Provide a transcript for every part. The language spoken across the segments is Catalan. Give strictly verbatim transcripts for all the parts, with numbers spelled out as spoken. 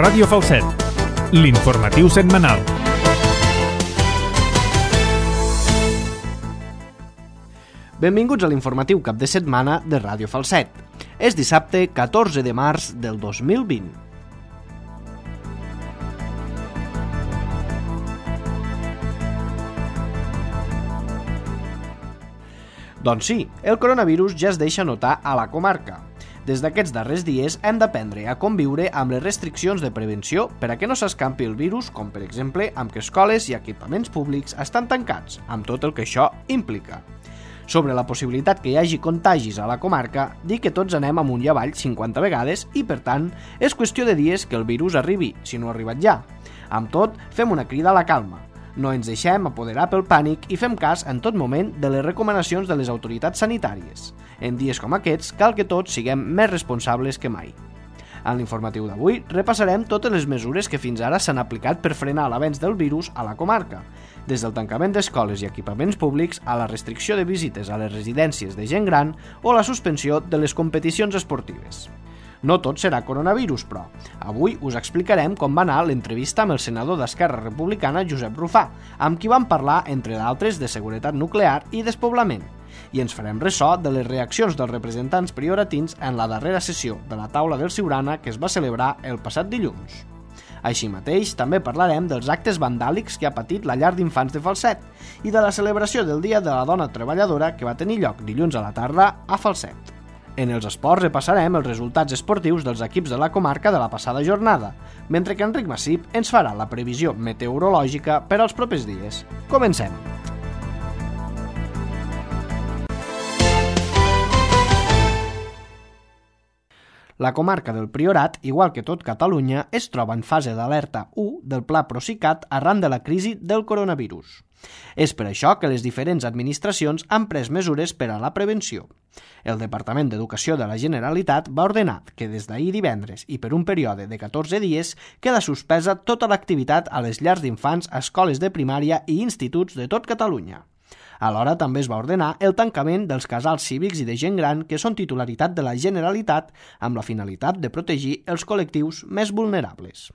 Ràdio Falset, l'informatiu setmanal. Benvinguts a l'informatiu cap de setmana de Ràdio Falset. És dissabte catorze de març del dos mil vint. Doncs sí, el coronavirus ja es deixa notar a la comarca. Des d'aquests darrers dies hem d'aprendre a conviure amb les restriccions de prevenció per a que no s'escampi el virus, com per exemple amb que escoles i equipaments públics estan tancats, amb tot el que això implica. Sobre la possibilitat que hi hagi contagis a la comarca, dir que tots anem amunt i avall cinquanta vegades i, per tant, és qüestió de dies que el virus arribi, si no ha arribat ja. Amb tot, fem una crida a la calma. No ens deixem apoderar pel pànic i fem cas en tot moment de les recomanacions de les autoritats sanitàries. En dies com aquests, cal que tots siguem més responsables que mai. En l'informatiu d'avui repassarem totes les mesures que fins ara s'han aplicat per frenar l'avenç del virus a la comarca, des del tancament d'escoles i equipaments públics a la restricció de visites a les residències de gent gran o la suspensió de les competicions esportives. No tot serà coronavirus, però. Avui us explicarem com va anar l'entrevista amb el senador d'Esquerra Republicana, Josep Rufà, amb qui vam parlar, entre d'altres, de seguretat nuclear i despoblament. I ens farem ressò de les reaccions dels representants prioratins en la darrera sessió de la taula del Siurana que es va celebrar el passat dilluns. Així mateix, també parlarem dels actes vandàlics que ha patit la llar d'infants de Falset i de la celebració del Dia de la Dona Treballadora que va tenir lloc dilluns a la tarda a Falset. En els esports repassarem els resultats esportius dels equips de la comarca de la passada jornada, mentre que Enric Massip ens farà la previsió meteorològica per als propers dies. Comencem! La comarca del Priorat, igual que tot Catalunya, es troba en fase d'alerta u del Pla Procicat arran de la crisi del coronavirus. És per això que les diferents administracions han pres mesures per a la prevenció. El Departament d'Educació de la Generalitat va ordenar que des d'ahir divendres i per un període de catorze dies queda suspesa tota l'activitat a les llars d'infants, escoles de primària i instituts de tot Catalunya. Alhora també es va ordenar el tancament dels casals cívics i de gent gran que són titularitat de la Generalitat amb la finalitat de protegir els col·lectius més vulnerables.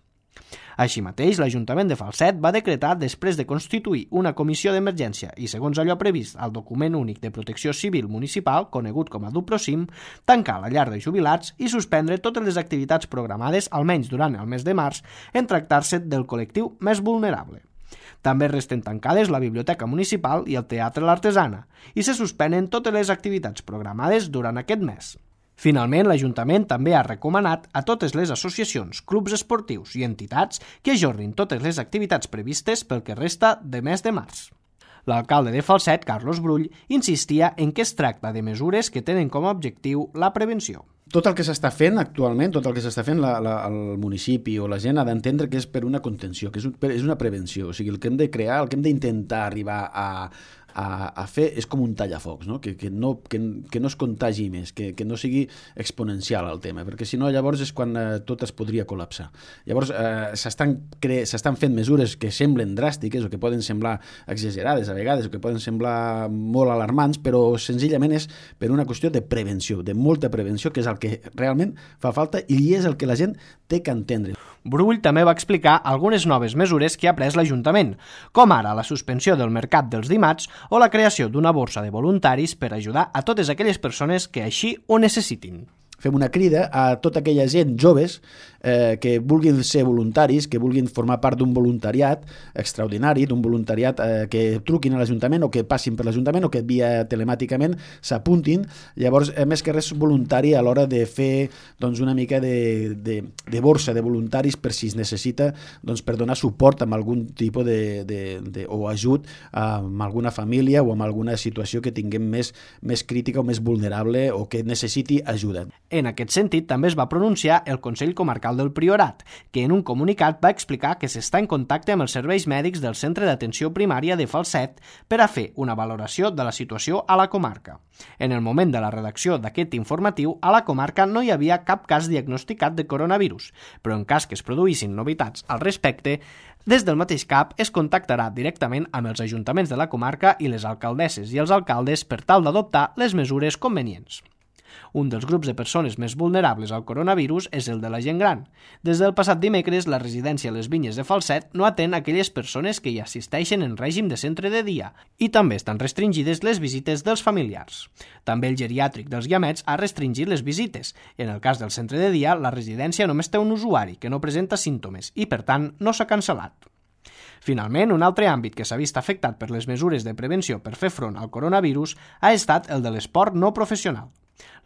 Així mateix, l'Ajuntament de Falset va decretar, després de constituir una comissió d'emergència i segons allò previst al document únic de protecció civil municipal, conegut com a DUPROCIM, tancar la llar de jubilats i suspendre totes les activitats programades, almenys durant el mes de març, en tractar-se del col·lectiu més vulnerable. També resten tancades la Biblioteca Municipal i el Teatre L'Artesana i se suspenen totes les activitats programades durant aquest mes. Finalment, l'Ajuntament també ha recomanat a totes les associacions, clubs esportius i entitats que ajornin totes les activitats previstes pel que resta de mes de març. L'alcalde de Falset, Carlos Brull, insistia en que es tracta de mesures que tenen com a objectiu la prevenció. Tot el que s'està fent actualment, tot el que s'està fent la, la, el municipi o la gent ha d'entendre que és per una contenció, que és, un, és una prevenció. O sigui, el que hem de crear, el que hem d'intentar arribar a, a, a fer és com un tallafocs, no? Que, que, no, que, que no es contagi més, que, que no sigui exponencial el tema, perquè si no llavors és quan eh, tot es podria col·lapsar. Llavors eh, s'estan, cre... s'estan fent mesures que semblen dràstiques o que poden semblar exagerades a vegades o que poden semblar molt alarmants, però senzillament és per una qüestió de prevenció, de molta prevenció, que és el que realment fa falta i és el que la gent té que entendre. Brull també va explicar algunes noves mesures que ha pres l'Ajuntament, com ara la suspensió del mercat dels dimats o la creació d'una borsa de voluntaris per ajudar a totes aquelles persones que així ho necessitin. Fem una crida a tota aquella gent joves eh, que vulguin ser voluntaris, que vulguin formar part d'un voluntariat extraordinari, d'un voluntariat eh, que truquin a l'Ajuntament o que passin per l'Ajuntament o que via telemàticament s'apuntin. Llavors, eh, més que res voluntari a l'hora de fer doncs, una mica de, de, de borsa de voluntaris per si es necessita doncs, per donar suport amb algun tipus de, de, de, o ajut amb alguna família o amb alguna situació que tinguem més, més crítica o més vulnerable o que necessiti ajuda. En aquest sentit, també es va pronunciar el Consell Comarcal del Priorat, que en un comunicat va explicar que s'està en contacte amb els serveis mèdics del Centre d'Atenció Primària de Falset per a fer una valoració de la situació a la comarca. En el moment de la redacció d'aquest informatiu, a la comarca no hi havia cap cas diagnosticat de coronavirus, però en cas que es produïssin novetats al respecte, des del mateix C A P es contactarà directament amb els ajuntaments de la comarca i les alcaldesses i els alcaldes per tal d'adoptar les mesures convenients. Un dels grups de persones més vulnerables al coronavirus és el de la gent gran. Des del passat dimecres, la residència Les Vinyes de Falset no atén aquelles persones que hi assisteixen en règim de centre de dia i també estan restringides les visites dels familiars. També el geriàtric dels Guiamets ha restringit les visites. En el cas del centre de dia, la residència només té un usuari que no presenta símptomes i, per tant, no s'ha cancel·lat. Finalment, un altre àmbit que s'ha vist afectat per les mesures de prevenció per fer front al coronavirus ha estat el de l'esport no professional.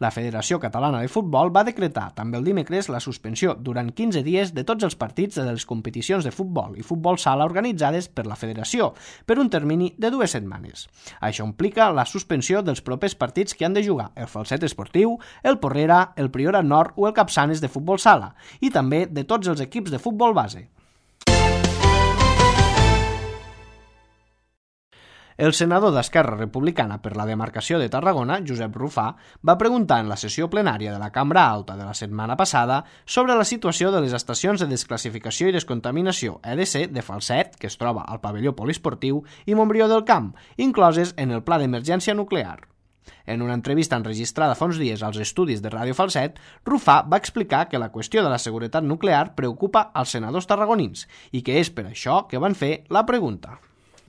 La Federació Catalana de Futbol va decretar també el dimecres la suspensió durant quinze dies de tots els partits de les competicions de futbol i futbol sala organitzades per la Federació per un termini de dues setmanes. Això implica la suspensió dels propers partits que han de jugar el Falset Esportiu, el Porrera, el Priorat Nord o el Capçanes de futbol sala i també de tots els equips de futbol base. El senador d'Esquerra Republicana per la demarcació de Tarragona, Josep Rufà, va preguntar en la sessió plenària de la Cambra Alta de la setmana passada sobre la situació de les estacions de desclassificació i descontaminació E D C de Falset, que es troba al pavelló poliesportiu, i Montbrió del Camp, incloses en el Pla d'Emergència Nuclear. En una entrevista enregistrada fa uns dies als estudis de Ràdio Falset, Rufà va explicar que la qüestió de la seguretat nuclear preocupa als senadors tarragonins i que és per això que van fer la pregunta.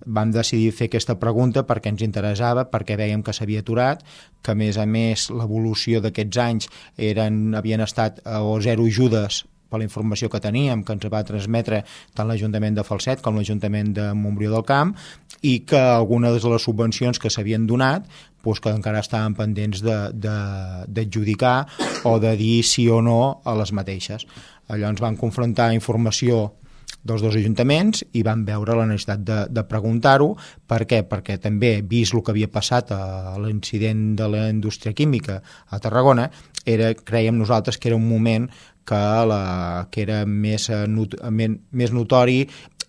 Vam decidir fer aquesta pregunta perquè ens interessava, perquè veiem que s'havia aturat, que a més a més l'evolució d'aquests anys eren, havien estat o zero ajudes per la informació que teníem, que ens va transmetre tant l'Ajuntament de Falset com l'Ajuntament de Montbrió del Camp, i que algunes de les subvencions que s'havien donat doncs que encara estaven pendents d'adjudicar o de dir sí o no a les mateixes. Llavors van confrontar informació dels dos ajuntaments i van veure la necessitat de, de preguntar-ho. Per què? Perquè també, vist el que havia passat a l'incident de la indústria química a Tarragona, era, creiem nosaltres que era un moment que, la, que era més, not, més notori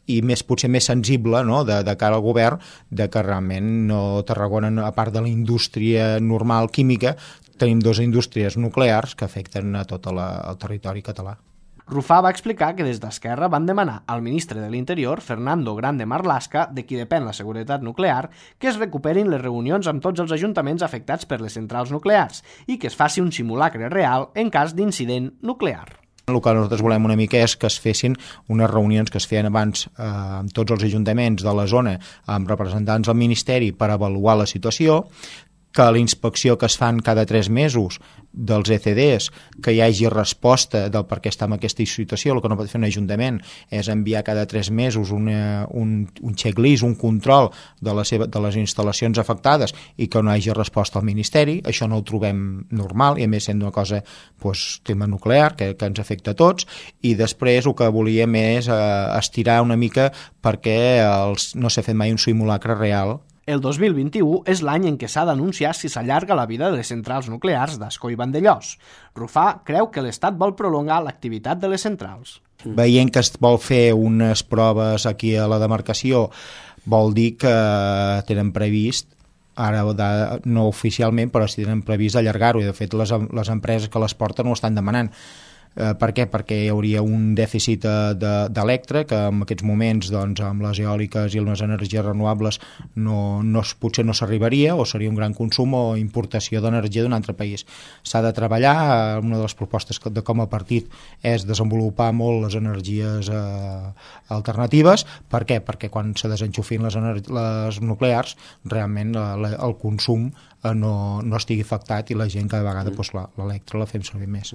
i més, potser més sensible, no?, de, de cara al govern, de que realment no, Tarragona, a part de la indústria normal química, tenim dues indústries nuclears que afecten a tot la, el territori català. Rufà va explicar que des d'Esquerra van demanar al ministre de l'Interior, Fernando Grande Marlaska, de qui depèn la seguretat nuclear, que es recuperin les reunions amb tots els ajuntaments afectats per les centrals nuclears i que es faci un simulacre real en cas d'incident nuclear. El que nosaltres volem una mica és que es fessin unes reunions que es feien abans eh, amb tots els ajuntaments de la zona, amb representants del Ministeri per avaluar la situació, que la inspecció que es fan cada tres mesos dels E C Ds, que hi hagi resposta del per què està en aquesta situació. El que no pot fer un ajuntament és enviar cada tres mesos una, un, un checklist, un control de, la seva, de les instal·lacions afectades i que no hi hagi resposta al Ministeri. Això no ho trobem normal i a més sent una cosa, doncs, tema nuclear que, que ens afecta a tots, i després el que volíem és eh, estirar una mica perquè els, no s'ha fet mai un simulacre real. El dos mil vint-i-u és l'any en què s'ha d'anunciar si s'allarga la vida de les centrals nuclears d'Ascó i Vandellòs. Rufà creu que l'Estat vol prolongar l'activitat de les centrals. Veient que es vol fer unes proves aquí a la demarcació, vol dir que tenen previst, ara no oficialment, però si tenen previst allargar-ho, i de fet les, les empreses que les porten ho estan demanant. Eh, per què? Perquè hi hauria un dèficit d'electre que en aquests moments, doncs, amb les eòliques i les energies renovables no, no, potser no s'arribaria, o seria un gran consum o importació d'energia d'un altre país. S'ha de treballar, una de les propostes de com a partit és desenvolupar molt les energies eh, alternatives. Per què? Perquè quan se desenxufin les, les nuclears realment la, la, el consum eh, no, no estigui afectat i la gent cada vegada doncs, l'electre la fem servir més.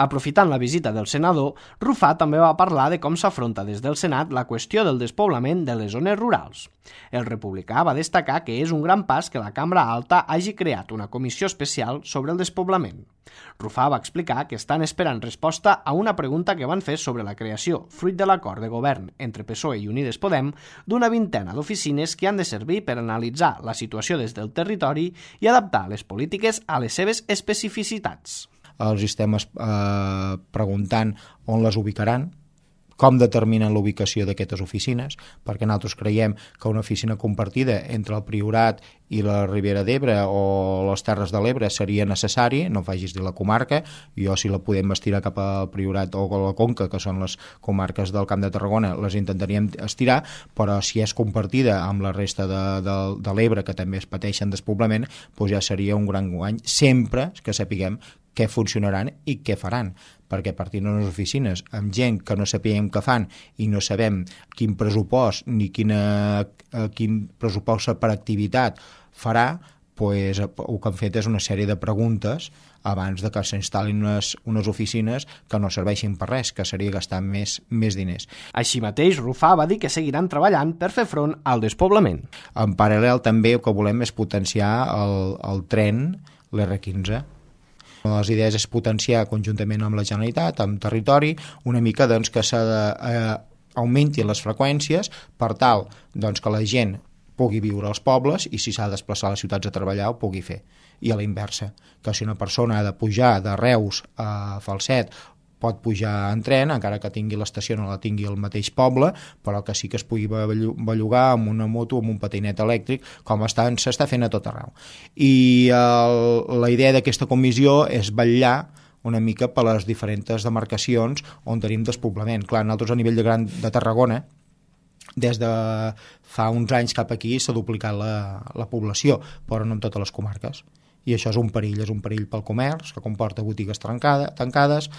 Aprofitant la visita del senador, Rufà també va parlar de com s'afronta des del Senat la qüestió del despoblament de les zones rurals. El republicà va destacar que és un gran pas que la Cambra Alta hagi creat una comissió especial sobre el despoblament. Rufà va explicar que estan esperant resposta a una pregunta que van fer sobre la creació, fruit de l'acord de govern entre P S O E i Unides Podem, d'una vintena d'oficines que han de servir per analitzar la situació des del territori i adaptar les polítiques a les seves especificitats. Els estem eh, preguntant on les ubicaran, com determinen la ubicació d'aquestes oficines, perquè nosaltres creiem que una oficina compartida entre el Priorat i la Ribera d'Ebre o les Terres de l'Ebre seria necessari, no facis dir la comarca, jo si la podem estirar cap al Priorat o a la Conca, que són les comarques del Camp de Tarragona, les intentaríem estirar, però si és compartida amb la resta de, de, de l'Ebre, que també es pateixen despoblament, doncs ja seria un gran guany, sempre que sapiguem què funcionaran i què faran, perquè partint d'unes oficines amb gent que no sapiem què fan i no sabem quin pressupost ni quina, quin pressupost per activitat farà, pues, el que han fet és una sèrie de preguntes abans de que s'instal·lin unes, unes oficines que no serveixin per res, que seria gastar més, més diners. Així mateix, Rufà va dir que seguiran treballant per fer front al despoblament. En paral·lel també el que volem és potenciar el, el tren, l'R quinze. Una de les idees és potenciar conjuntament amb la Generalitat, amb territori, una mica doncs, que s'ha de, eh, augmentin les freqüències per tal doncs, que la gent pugui viure als pobles i si s'ha de desplaçar a les ciutats a treballar ho pugui fer. I a la inversa, que si una persona ha de pujar de Reus a Falset pot pujar en tren, encara que tingui l'estació no la tingui al mateix poble, però que sí que es pugui bellugar amb una moto o amb un patinet elèctric, com s'està fent a tot arreu. I el, la idea d'aquesta comissió és vetllar una mica per les diferents demarcacions on tenim despoblament. Clar, nosaltres a nivell de Gran de Tarragona, des de fa uns anys cap aquí s'ha duplicat la, la població, però no en totes les comarques. I això és un perill, és un perill pel comerç, que comporta botigues trencada, tancades,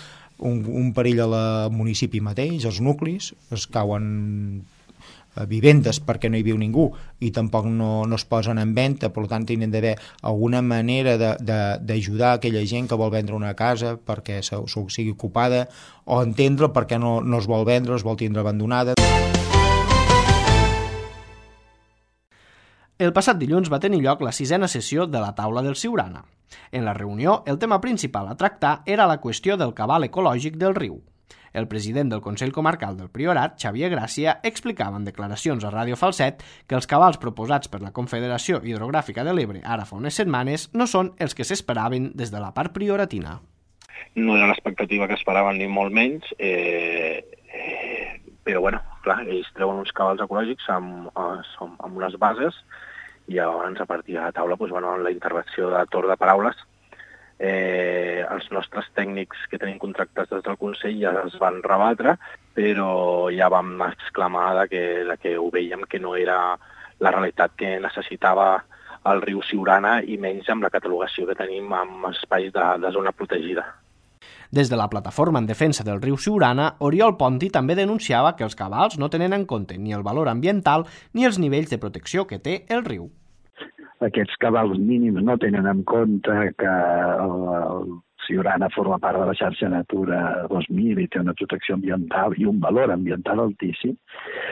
un, un perill al municipi mateix, els nuclis, es cauen vivendes perquè no hi viu ningú i tampoc no, no es posen en venda, per tant tenen d'haver alguna manera d'ajudar aquella gent que vol vendre una casa perquè se, se sigui ocupada o entendre per què no, no es vol vendre, es vol tindre abandonada. El passat dilluns va tenir lloc la sisena sessió de la taula del Siurana. En la reunió, el tema principal a tractar era la qüestió del cabal ecològic del riu. El president del Consell Comarcal del Priorat, Xavier Gràcia, explicava en declaracions a Ràdio Falset que els cabals proposats per la Confederació Hidrogràfica de l'Ebre ara fa unes setmanes no són els que s'esperaven des de la part prioratina. No era l'expectativa que esperaven ni molt menys, eh, eh, però bueno, clar, ells treuen uns cabals ecològics amb, amb unes bases i llavors a partir de la taula doncs, bueno, la intervenció de torn de paraules eh, els nostres tècnics que tenim contractats des del Consell ja es van rebatre, però ja vam exclamar de que, de que ho veiem que no era la realitat que necessitava el riu Siurana i menys amb la catalogació que tenim amb espais de, de zona protegida. Des de la plataforma en defensa del riu Siurana, Oriol Ponti també denunciava que els cabals no tenen en compte ni el valor ambiental ni els nivells de protecció que té el riu. Aquests cabals mínims no tenen en compte que el, el Siurana forma part de la xarxa Natura dos mil i té una protecció ambiental i un valor ambiental altíssim,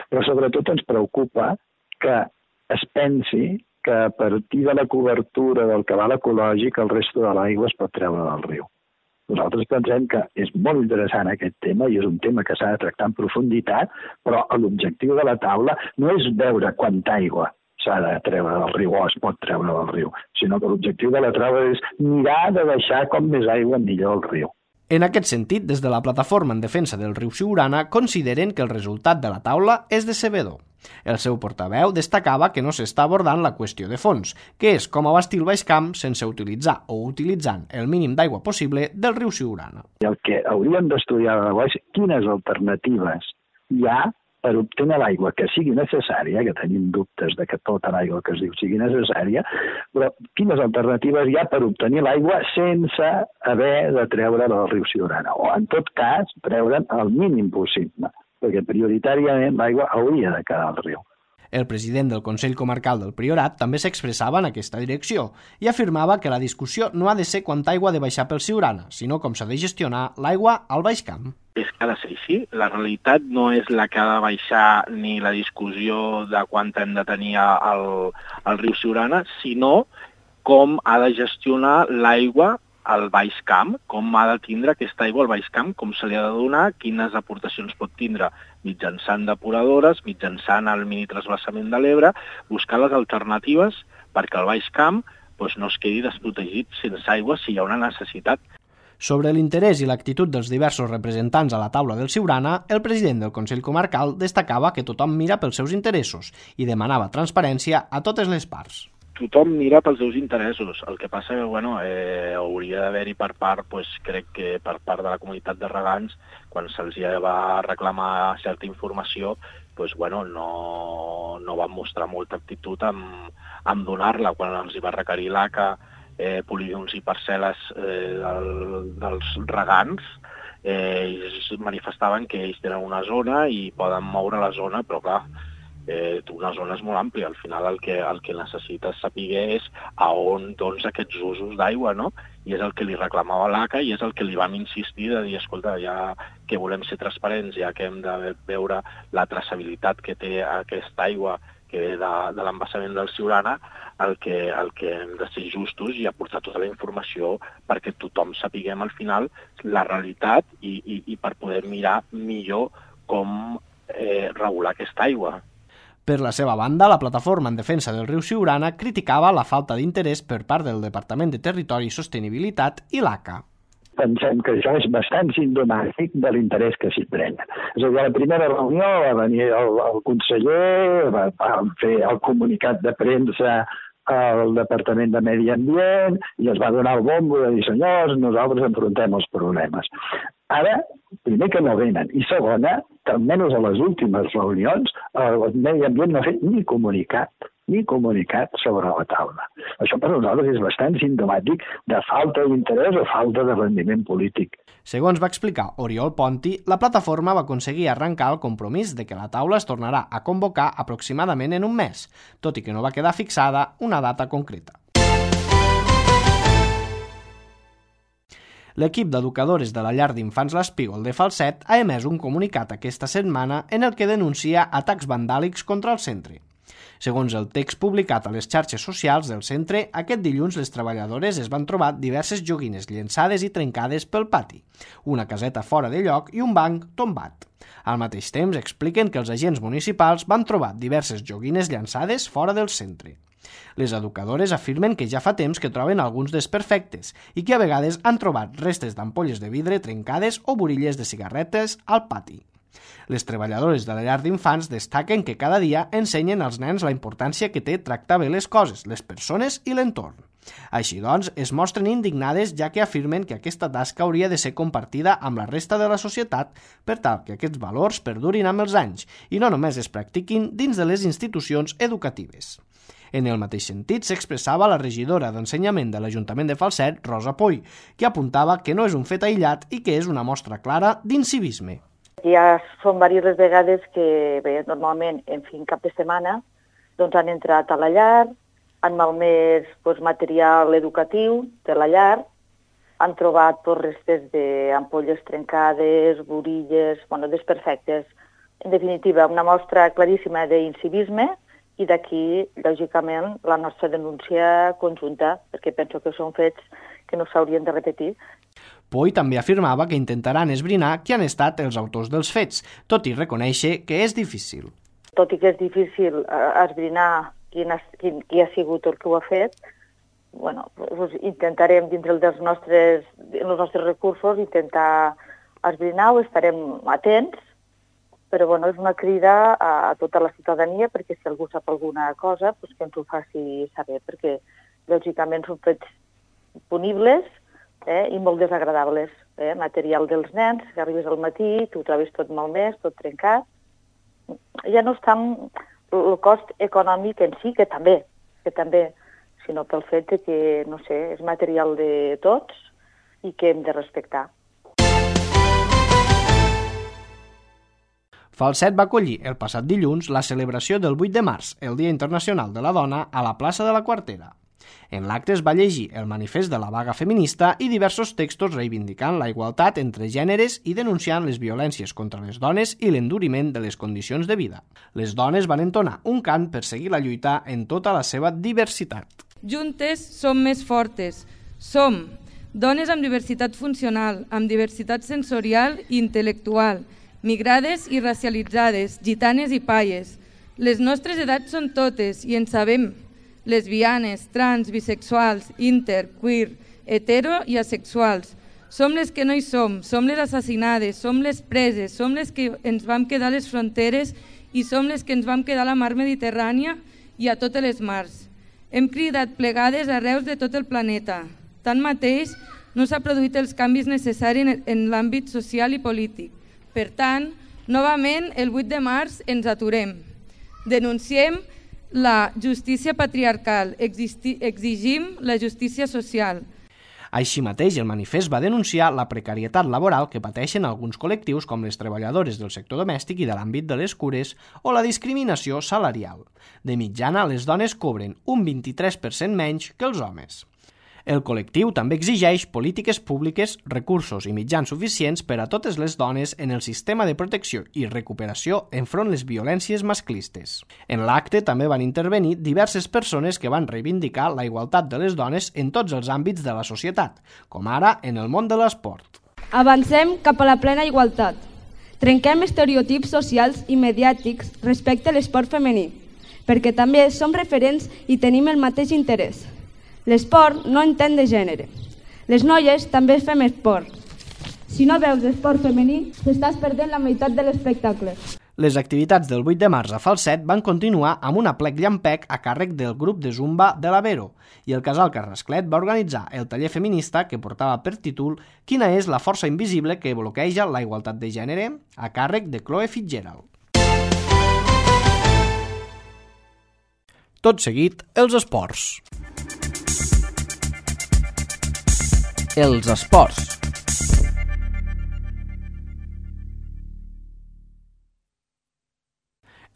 però sobretot ens preocupa que es pensi que a partir de la cobertura del cabal ecològic el resto de l'aigua es pot treure del riu. Nosaltres pensem que és molt interessant aquest tema i és un tema que s'ha de tractar en profunditat, però l'objectiu de la taula no és veure quanta aigua s'ha de treure del riu o es pot treure del riu, sinó que l'objectiu de la taula és mirar de deixar com més aigua millor al riu. En aquest sentit, des de la plataforma en defensa del riu Siurana consideren que el resultat de la taula és decebedor. El seu portaveu destacava que no s'està abordant la qüestió de fons, que és com abastir el Baix Camp sense utilitzar o utilitzant el mínim d'aigua possible del riu Siurana. El que hauríem d'estudiar és quines alternatives hi ha per obtenir l'aigua que sigui necessària, que tenim dubtes de que tota l'aigua que es diu sigui necessària, però quines alternatives hi ha per obtenir l'aigua sense haver de treure del riu Siurana, o en tot cas treure'n el mínim possible, perquè prioritàriament l'aigua hauria de quedar al riu. El president del Consell Comarcal del Priorat també s'expressava en aquesta direcció i afirmava que la discussió no ha de ser quanta aigua ha de baixar pel Siurana, sinó com s'ha de gestionar l'aigua al Baix Camp. És que ha de ser així. La realitat no és la que ha de baixar ni la discussió de quant hem de tenir al, al riu Siurana, sinó com ha de gestionar l'aigua al Baix Camp, com ha de tindre aquesta aigua al Baix Camp, com se li ha de donar, quines aportacions pot tindre mitjançant depuradores, mitjançant el mini transvasament de l'Ebre, buscar les alternatives perquè el Baix Camp doncs, no es quedi desprotegit sense aigua si hi ha una necessitat. Sobre l'interès i l'actitud dels diversos representants a la taula del Siurana, el president del Consell Comarcal destacava que tothom mira pels seus interessos i demanava transparència a totes les parts. Tothom mira pels seus interessos. El que passa que, bueno, eh, hauria d'haver-hi per part, pues, crec que per part de la comunitat de regants, quan se'ls va reclamar certa informació, pues, bueno, no, no van mostrar molta actitud en, en donar-la. Quan els hi va requerir l'A C A eh, polígons i parcel·les eh, del, dels regants, eh, ells manifestaven que ells tenen una zona i poden moure la zona, però clar, eh, una zona és molt àmplia. Al final el que, el que necessites saber és a on doncs, aquests usos d'aigua, no? I és el que li reclamava l'A C A i és el que li vam insistir de dir, escolta, ja que volem ser transparents, ja que hem de veure la traçabilitat que té aquesta aigua que ve de, de l'embassament del Siurana, el que, el que hem de ser justos i aportar tota la informació perquè tothom sapiguem al final la realitat i, i, i per poder mirar millor com eh, regular aquesta aigua. Per la seva banda, la plataforma en defensa del riu Siurana criticava la falta d'interès per part del Departament de Territori i Sostenibilitat i l'A C A. Pensem que això és bastant simptomàtic de l'interès que s'hi pren. És a dir, a la primera reunió va venir el, el conseller, va, va fer el comunicat de premsa al Departament de Medi Ambient i es va donar el bombo de dir, senyors, nosaltres enfrontem els problemes. Ara, primer que no venen, i segona, que almenys a les últimes reunions el Medi Ambient no ha fet ni comunicat, ni comunicat sobre la taula. Això per nosaltres és bastant simptomàtic de falta d'interès o falta de rendiment polític. Segons va explicar Oriol Ponti, la plataforma va aconseguir arrencar el compromís de que la taula es tornarà a convocar aproximadament en un mes, tot i que no va quedar fixada una data concreta. L'equip d'educadores de la llar d'infants l'Espígol de Falset ha emès un comunicat aquesta setmana en el que denuncia atacs vandàlics contra el centre. Segons el text publicat a les xarxes socials del centre, aquest dilluns les treballadores es van trobar diverses joguines llençades i trencades pel pati, una caseta fora de lloc i un banc tombat. Al mateix temps expliquen que els agents municipals van trobar diverses joguines llançades fora del centre. Les educadores afirmen que ja fa temps que troben alguns desperfectes i que a vegades han trobat restes d'ampolles de vidre trencades o burilles de cigarretes al pati. Les treballadores de la llar d'infants destaquen que cada dia ensenyen als nens la importància que té tractar bé les coses, les persones i l'entorn. Així doncs, es mostren indignades ja que afirmen que aquesta tasca hauria de ser compartida amb la resta de la societat per tal que aquests valors perdurin amb els anys i no només es practiquin dins de les institucions educatives. En el mateix sentit s'expressava la regidora d'Ensenyament de l'Ajuntament de Falset, Rosa Poy, que apuntava que no és un fet aïllat i que és una mostra clara d'incivisme. Ja són diverses vegades que, bé, normalment, en fin, cap de setmana, doncs han entrat a la llar, han malmès doncs, material educatiu de la llar, han trobat doncs, restes d'ampolles trencades, burilles, bueno, desperfectes. En definitiva, una mostra claríssima d'incivisme i d'aquí, lògicament, la nostra denúncia conjunta, perquè penso que són fets que no s'haurien de repetir. Poy també afirmava que intentaran esbrinar qui han estat els autors dels fets, tot i reconèixer que és difícil. Tot i que és difícil esbrinar qui ha, qui, qui ha sigut el que ho ha fet, bueno, doncs intentarem, dintre dels nostres, els nostres recursos, intentar esbrinar-ho, estarem atents, però bueno, és una crida a, a tota la ciutadania perquè si algú sap alguna cosa, doncs que ens ho faci saber, perquè lògicament són fets punibles, Eh, i molt desagradables. Eh? Material dels nens, que arribes al matí, tu ho trobes tot malmès, tot trencat. Ja no és tant el cost econòmic en si, que també, que també, sinó pel fet de que, no sé, és material de tots i que hem de respectar. Falset va acollir el passat dilluns la celebració del vuit de març, el Dia Internacional de la Dona, a la plaça de la Quartera. En l'acte es va llegir el manifest de la vaga feminista i diversos textos reivindicant la igualtat entre gèneres i denunciant les violències contra les dones i l'enduriment de les condicions de vida. Les dones van entonar un cant per seguir la lluita en tota la seva diversitat. Juntes som més fortes. Som dones amb diversitat funcional, amb diversitat sensorial i intel·lectual, migrades i racialitzades, gitanes i paies. Les nostres edats són totes i en sabem. Lesbianes, trans, bisexuals, inter, queer, hetero i asexuals. Som les que no hi som, som les assassinades, som les preses, som les que ens vam quedar a les fronteres i som les que ens vam quedar a la mar Mediterrània i a totes les mars. Hem cridat plegades arreu de tot el planeta. Tanmateix, no s'ha produït els canvis necessaris en l'àmbit social i polític. Per tant, novament, el vuit de març ens aturem. Denunciem la justícia patriarcal, exigim la justícia social. Així mateix, el manifest va denunciar la precarietat laboral que pateixen alguns col·lectius com les treballadores del sector domèstic i de l'àmbit de les cures o la discriminació salarial. De mitjana, les dones cobren un vint-i-tres per cent menys que els homes. El col·lectiu també exigeix polítiques públiques, recursos i mitjans suficients per a totes les dones en el sistema de protecció i recuperació enfront les violències masclistes. En l'acte també van intervenir diverses persones que van reivindicar la igualtat de les dones en tots els àmbits de la societat, com ara en el món de l'esport. Avancem cap a la plena igualtat. Trenquem estereotips socials i mediàtics respecte a l'esport femení, perquè també som referents i tenim el mateix interès. L'esport no entén de gènere. Les noies també fem esport. Si no veus esport femení, t'estàs perdent la meitat de l'espectacle. Les activitats del vuit de març a Falset van continuar amb un aplec llampec a càrrec del grup de Zumba de l'Avero i el Casal Carrasclet va organitzar el taller feminista que portava per títol Quina és la força invisible que bloqueja la igualtat de gènere? A càrrec de Chloe Fitzgerald. Tot seguit, els esports. Els esports.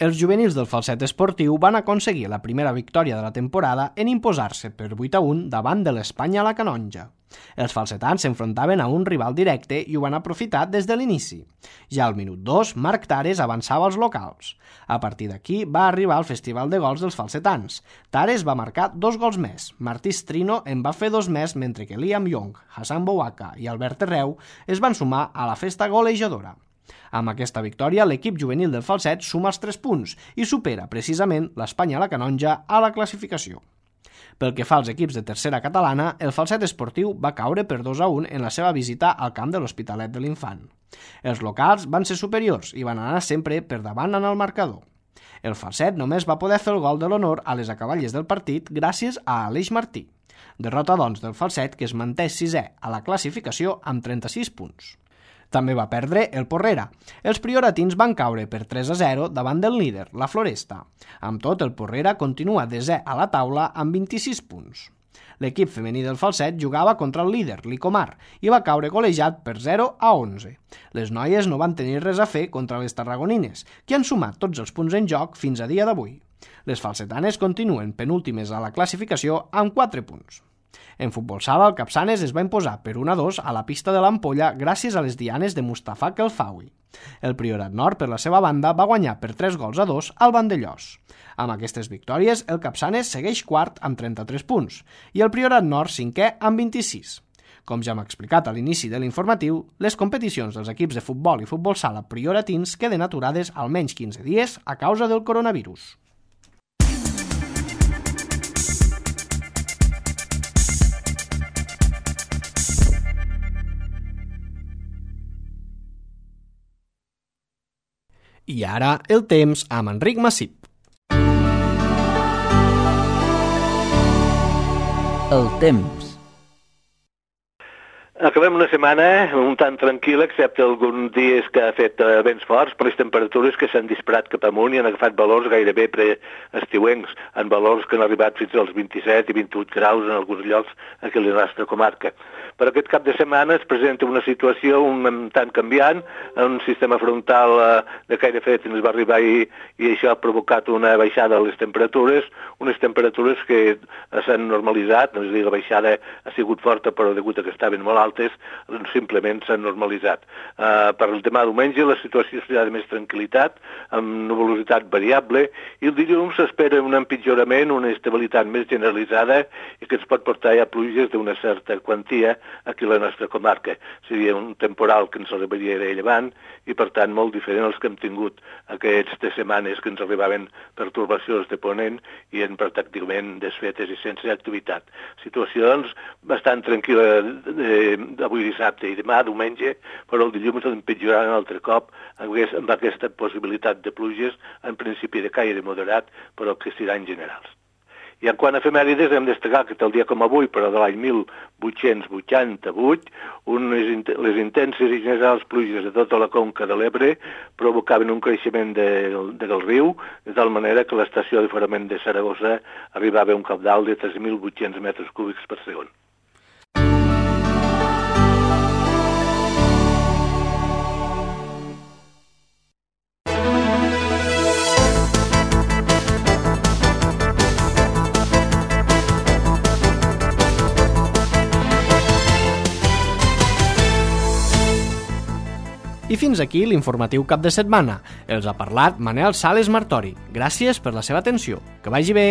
Els juvenils del Falset Esportiu van aconseguir la primera victòria de la temporada en imposar-se per vuit a un davant de l'Espanya a la Canonja. Els falsetans s'enfrontaven a un rival directe i ho van aprofitar des de l'inici. Ja al minut dos, Marc Tares avançava als locals. A partir d'aquí va arribar el festival de gols dels falsetans. Tares va marcar dos gols més. Martí Strino en va fer dos més, mentre que Liam Young, Hassan Bouaka i Albert Terreu es van sumar a la festa golejadora. Amb aquesta victòria, l'equip juvenil del Falset suma els tres punts i supera precisament l'Espanya a la Canonja a la classificació. Pel que fa als equips de tercera catalana, el Falset Esportiu va caure per dos a un en la seva visita al camp de l'Hospitalet de l'Infant. Els locals van ser superiors i van anar sempre per davant en el marcador. El Falset només va poder fer el gol de l'honor a les acaballes del partit gràcies a Aleix Martí. Derrota, doncs, del Falset, que es manté sisè a la classificació amb trenta-sis punts. També va perdre el Porrera. Els prioratins van caure per tres a zero davant del líder, la Floresta. Amb tot, el Porrera continua desè a la taula amb vint-i-sis punts. L'equip femení del Falset jugava contra el líder, l'Icomar, i va caure golejat per zero a onze. Les noies no van tenir res a fer contra les tarragonines, que han sumat tots els punts en joc fins a dia d'avui. Les falsetanes continuen penúltimes a la classificació amb quatre punts. En futbol sala, el Capçanes es va imposar per un a dos a la pista de l'Ampolla gràcies a les dianes de Mustafa Kelfawi. El Priorat Nord, per la seva banda, va guanyar per tres gols a dos al Vandellós. Amb aquestes victòries, el Capçanes segueix quart amb trenta-tres punts i el Priorat Nord cinquè amb vint-i-sis. Com ja hem explicat a l'inici de l'informatiu, les competicions dels equips de futbol i futbol sala prioratins queden aturades almenys quinze dies a causa del coronavirus. I ara, el temps amb Enric Massip. El temps. Acabem una setmana un tant tranquil·la, excepte alguns dies que ha fet vents forts, per les temperatures que s'han disparat cap amunt i han agafat valors gairebé preestiuencs, en valors que han arribat fins als vint-i-set i vint-i-vuit graus en alguns llocs aquí a la nostra comarca. Per aquest cap de setmana es presenta una situació un tant canviant, un sistema frontal de caire fred ens va arribar i, i això ha provocat una baixada de les temperatures, unes temperatures que s'han normalitzat, no és a dir, la baixada ha sigut forta però degut a que estaven molt altes, simplement s'han normalitzat. Uh, per el demà diumenge la situació serà de més tranquil·litat, amb nuvolositat variable, i el dilluns s'espera un empitjorament, una estabilitat més generalitzada i que ens pot portar ja pluges d'una certa quantia aquí a la nostra comarca. Seria un temporal que ens arribaria de llevant i, per tant, molt diferent als que hem tingut aquestes setmanes que ens arribaven pertorbacions de ponent i en pràcticament desfetes i sense activitat. Situació, doncs, bastant tranquil·la de avui dissabte i demà diumenge, però el dilluns empitjoraran un altre cop amb aquesta possibilitat de pluges, en principi de caire moderat, però que seran generals. I en quant a efemèrides, hem destacat que tal dia com avui, però de l'any mil vuit-cents vuitanta-vuit, unes, les intenses i generals pluges de tota la conca de l'Ebre provocaven un creixement de, de, del riu, de tal manera que l'estació de forament de Saragossa arribava a un cabdal de tres mil vuit-cents metres cúbics per segon. I fins aquí l'informatiu cap de setmana. Els ha parlat Manel Sales Martori. Gràcies per la seva atenció. Que vagi bé!